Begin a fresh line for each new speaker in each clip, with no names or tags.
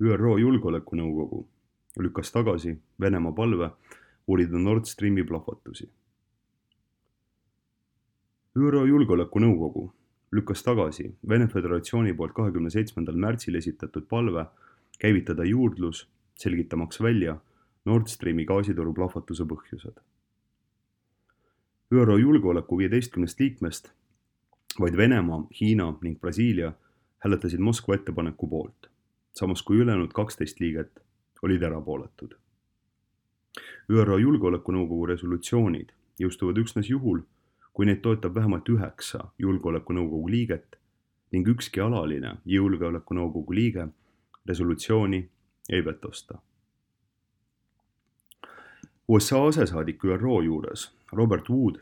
ÜRO Julgeolekunõukogu lükkas tagasi Venemaa palve uurida Nord Streami plahvatusi. ÜRO Julgeolekunõukogu lükkas tagasi Vene Föderatsiooni poolt 27. märtsil esitatud palve käivitada juurdlus, selgitamaks välja Nord Streami gaasitoru plahvatuse põhjused. ÜRO Julgeoleku 15 liikmest vaid Venemaa, Hiina ning Brasiilia hääletasid Moskva ettepaneku poolt, samas kui ülejäänud 12 liiget olid erapooletud. ÜRO Julgeolekunõukogu resolutsioonid jõustuvad üksnes juhul, kui neid toetab vähemalt 9 Julgeolekunõukogu liiget ning ükski alaline Julgeolekunõukogu liige resolutsiooni ei vetosta. USA asesaadik ÜRO juures Robert Wood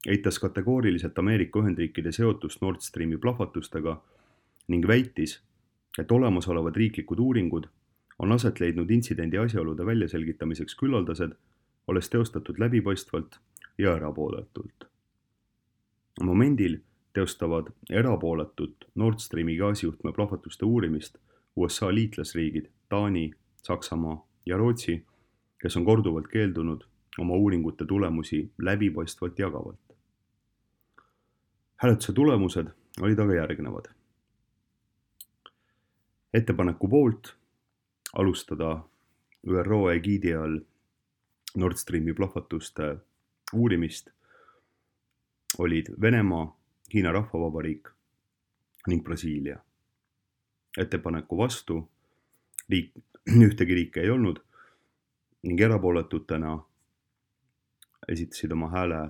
eitas kategooriliselt Ameerika Ühendriikide seotust Nord Streami plahvatustega ning väitis, et olemasolevad riiklikud uuringud on aset leidnud intsidendi asjaolude väljaselgitamiseks küllaldased, olles teostatud läbipaistvalt ja erapooletult. Momendil teostavad erapooletut Nord Streami gaasijuhtme plahvatuste uurimist USA liitlasriigid Taani, Saksamaa ja Rootsi, kes on korduvalt keeldunud oma uuringute tulemusi läbipaistvalt jagavalt. Hääletuse tulemused olid aga järgnevad. Ettepaneku poolt alustada ÜRO egiidi all Nord Streami plahvatuste uurimist olid Venemaa, Hiina Rahvavabariik ning Brasiilia. Ettepaneku vastu ühtegi riiki ei olnud ning erapooletutena esitasid oma hääle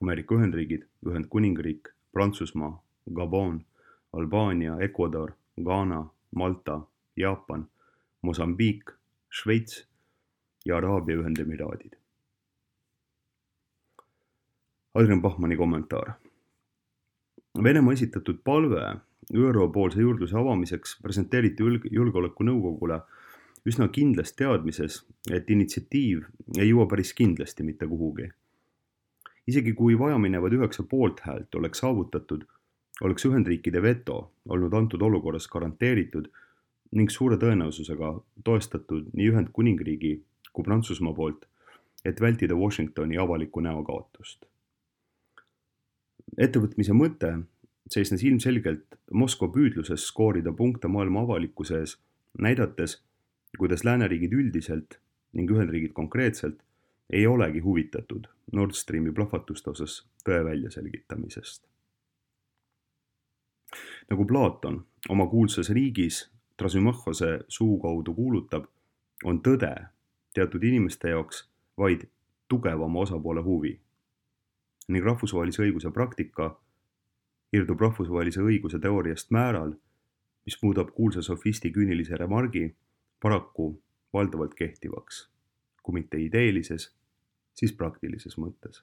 Ameerika Ühendriigid, Ühendkuningriik, Prantsusmaa, Gabon, Albaania, Ecuador, Ghana, Malta, Jaapan, Mosambiik, Šveits ja Araabia Ühendemiraadid. Adrian Bachmanni kommentaar. Venemaa esitatud palve ÜRO poolse juurdluse avamiseks presenteeriti Julgeolekunõukogule üsna kindlas teadmises, et initsiatiiv ei jõua päris kindlasti mitte kuhugi. Isegi kui vajaminevad 9 poolthäält oleks saavutatud, oleks Ühendriikide veto olnud antud olukorras garanteeritud ning suure tõenäosusega toestatud nii Ühendkuningriigi kui Prantsusmaa poolt, et vältida Washingtoni avalikku näokaotust. Ettevõtmise mõte seisnes ilmselgelt Moskva püüdluses skoorida punkte maailma avalikkuse ees, näidates, kuidas lääneriigid üldiselt ning Ühendriigid konkreetselt ei olegi huvitatud Nord Streami plahvatuste osas tõe väljaselgitamisest. Nagu Platon oma kuulsas riigis Trasümachose suu kaudu kuulutab, on tõde teatud inimeste jaoks vaid tugevama osapoole huvi ning rahvusvahelise õiguse praktika irdub rahvusvahelise õiguse teooriast määral, mis muudab kuulsa sofisti küünilise remargi paraku valdavalt kehtivaks, kui mitte ideelises, siis praktilises mõttes.